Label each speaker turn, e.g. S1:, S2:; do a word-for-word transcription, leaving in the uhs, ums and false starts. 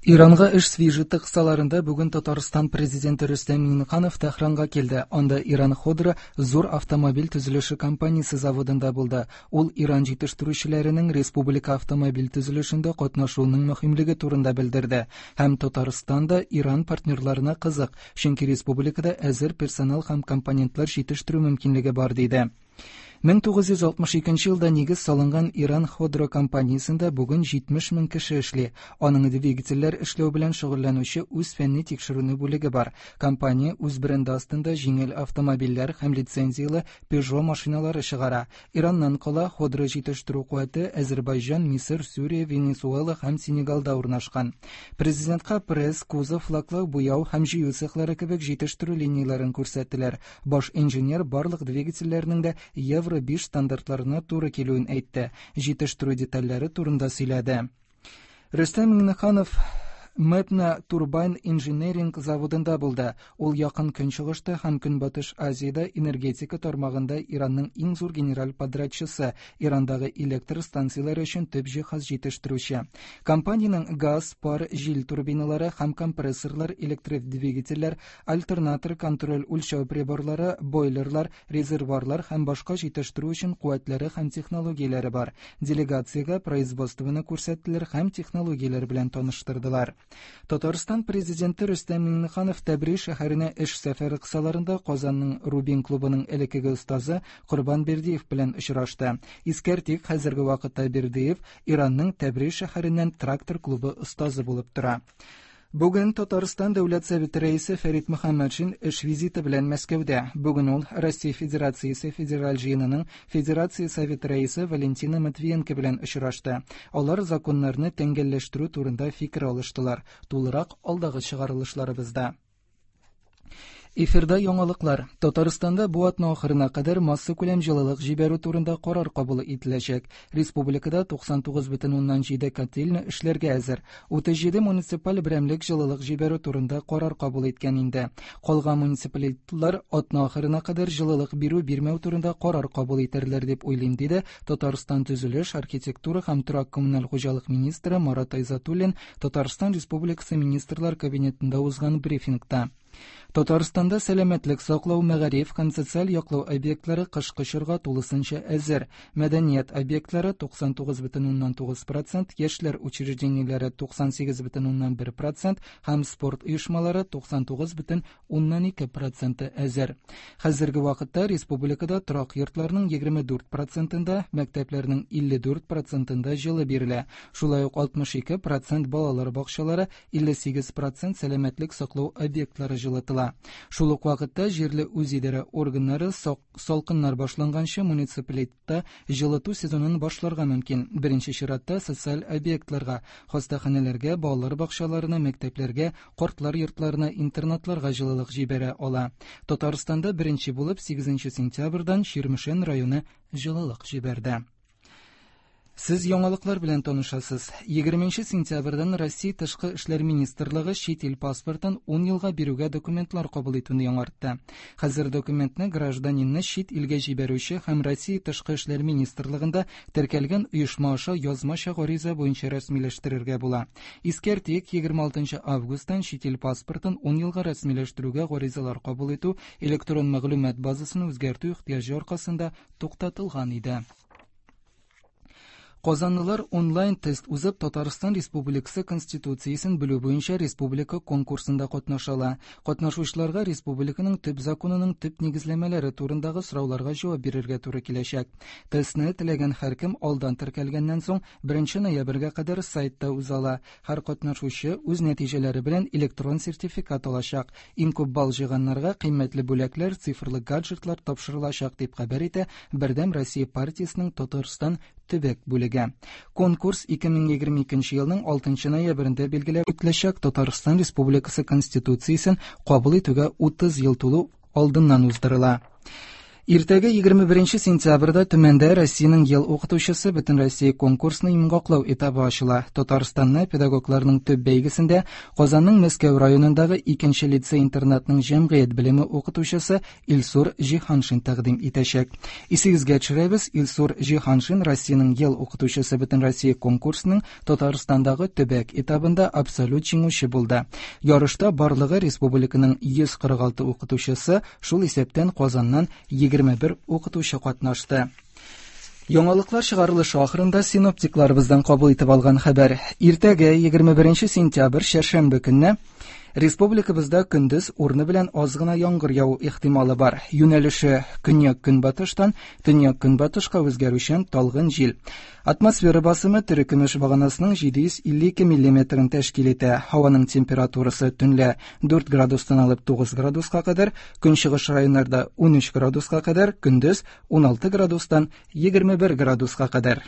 S1: Иранга эш визиты кысаларында бүген Татарстан президенты Рөстәм Миңнеханов Тәһранга килде. Анда Иран Ходро зур автомобиль төзелеше компаниясе заводында булды. Ул Иран җитештерүчеләренең республика автомобиль төзелешендә катнашуының мөһимлеге турында белдерде. Һәм Татарстан да Иран партнерларына кызык, чөнки республикада әзер персонал һәм компонентлар җитештерү мөмкинлеге бар, диде. мең тугыз йөз алтмыш икенче елда нигез салынган Иран Ходро компаниясендә бүген җитмеш мең кеше эшли. Аның двигательләр эшләү белән шөгыльләнүче үз фәнни тикшеренү бүлеге бар. Компания үз бренды астында җиңел автомобильләр һәм лицензияле Peugeot машиналары чыгара. Ираннан кала Ходро җитештерү куәте Азербайҗан, Мисыр, Сүрия, Венесуэла һәм Сенегалда урнашкан. Президентка пресс, кузов, лаклау, буяу һәм җыю цехлары кебек җитештерү линияләрен күрсәттеләр. Баш инженер барлык двигательләрнең дә Евро биш стандартларына туры килүен әйтте. Җитештерү детальләре турында сөйләде. Рөстәм Миңнеханов Мепна Турбайн инжиниринг заводында булды. Ул якын Көнчыгышта һәм Көнбатыш Азиядә энергетика тармагында Иранның иң зур генераль подрядчысы, Ирандагы электр станцияләре өчен төп җиһаз җитештерүче. Компаниянең газ, пар, җил турбиналары һәм компрессорлар, электродвигательләр, альтернатор контроль үлчәү приборлары, бойлерлар, резервуарлар һәм башка җитештерү өчен куәтләре һәм технологияләре бар. Делегациягә производствоны күрсәттеләр һәм технологияләр белән таныштырдылар. Татарстан президенты Рөстәм Миңнеханов Тәбриз шәһәренә эш сәфәре кысаларында Казанның Рубин клубының элеккеге остазы Корбан Бердиев белән очрашты. Искәртик, хәзерге вакытта Бердиев Иранның Тәбриз шәһәреннән трактор клубы остазы булып тора. Бүген Татарстан Дәүләт Советы рәисе Фәрит Мөхәммәтшин эш визиты белән Мәскәүдә. Бүген ул Россия Федерациясе Федераль җыенының Федерация Советы рәисе Валентина Матвиенко белән очрашты. Алар законнарны тәңгәлләштерү турында фикер алыштылар. Тулырак алдагы чыгарылышларыбызда. Эфирда яңалыклар. Татарстанда бу атна ахырына кадәр массакүләм җылылык җибәрү турында карар кабул ителәчәк. Республикада туксан тугыз бөтен уннан җиде котельня эшләргә әзер. Утыз җиде муниципаль берәмлек җылылык җибәрү турында карар кабул иткән инде. Калган муниципалитетлар атна ахырына кадәр җылылык бирү бирмәү турында карар кабул итәрләр дип уйлыйм, диде Татарстан төзелеш, архитектура һәм торак коммуналь хуҗалык министры Марат Айзатуллин Татарстан Республикасы Министрлар Кабинетында узган брифингта. Татарстанда сәламәтлек саклау, мәгариф һәм социаль яклау объектлары кышкы чорга тулысынча әзер. Мәдәният объектлары туксан тугыз бөтен уннан тугыз процент, яшьләр учреждениеләре туксан сигез бөтен уннан бер процент һәм спорт оешмалары туксан тугыз бөтен уннан ике проценты әзер. Хәзерге вакытта республикада торак йортларның егерме дүрт процентында, мәктәпләрнең илле дүрт процентында җылы бирелә. Шулай ук алтмыш ике процент балалар бакчалары, илле сигез процент сәламәтлек саклау объектлары җылытыла. Шул ук вакытта җирле үзидарә органнары сок-, салкыннар башланганчы муниципалитетта җылыту сезонын башларга мөмкин. Беренче чиратта социаль объектларга, хастаханәләргә, балалар бакчаларына, мәктәпләргә, картлар йортларына, интернатларга җылылык җибәрә ала. Татарстанда беренче булып сигезенче сентябрьдән Чирмешән районы җылылык җибәрде. Сез яңалыклар белән танышасыз. Егерменче сентябрьдән Россия Тышкы эшләр министрлыгы чит ил паспортын ун елга бирүгә документлар кабул итүне яңартты. Хәзер документны гражданинны чит илгә җибәрүче һәм Россия Тышкы эшләр министрлыгында теркәлгән оешма аша язмача гариза буенча рәсмиләштерергә була. Искәртик, егерме алтынчы августтан чит ил паспортын ун елга рәсмиләштерүгә гаризалар кабул итү электрон мәгълүмат базасын үзгәртү ихтыяҗы аркасында туктатылган иде. Казанлылар онлайн тест узып Татарстан Республикасы Конституциясен белү буенча республика конкурсында катнаша ала. Катнашучыларга республиканың төп законының төп нигезләмәләре турындагы сорауларга җавап бирергә туры киләчәк. Тестны теләгән һәркем алдан теркәлгәннән соң беренче ноябрьгә кадәр сайтта уза ала. Һәр катнашучы үз нәтиҗәләре белән электрон сертификат алачак. Иң күп балл җыйганнарга кыйммәтле бүләкләр, цифрлы гаджетлар тапшырылачак дип хәбәр итә Бердәм Россия партиясенең Татарстан төбәк бүлеге. Конкурс ике мең егерме икенче елның алтынчы ноябрендә билгеләп үтеләчәк. Татарстан Республикасы Конституциясен кабул итүгә утыз ел тулу алдыннан уздырыла. Иртәгә егерме беренче сентябрьдә Төмәндә Россиянең ел укытучысы Бөтенроссия конкурсының йомгаклау этабы ачыла. Татарстанны педагогларның төп бәйгесендә Казанның Мәскәү районындагы икенче лицей-интернатның җәмгыять белеме укытучысы Илсур Җиһаншин тәкъдим итәчәк. Исегезгә төшерәбез, Илсур Җиһаншин Россиянең ел укытучысы Бөтенроссия конкурсының Татарстандагы төбәк этабында абсолют җиңүче булды. Ярышта барлыгы республиканың йөз кырык алты укытучысы, шул исәптән Казаннан егерме бер укытучы катнашты. Яңалыклар чыгарылышы ахырында синоптикларыбыздан кабул итеп алган хәбәр. Иртәгә егерме беренче сентябрь чәршәмбе көнне республикабызда көндез урыны белән аз гына яңгыр яву ихтималы бар. Юнәлеше көньяк-көнбатыштан төньяк-көнбатышка үзгәрүчән талгын җил. Атмосфера басымы терекөмеш баганасының җиде йөз илле ике миллиметрын тәшкил итә. Һаваның температурасы төнлә дүрт градустан алып тугыз градуска кадәр, көнчыгыш районнарда унөч градуска кадәр, көндез уналты градустан егерме бер градуска кадәр.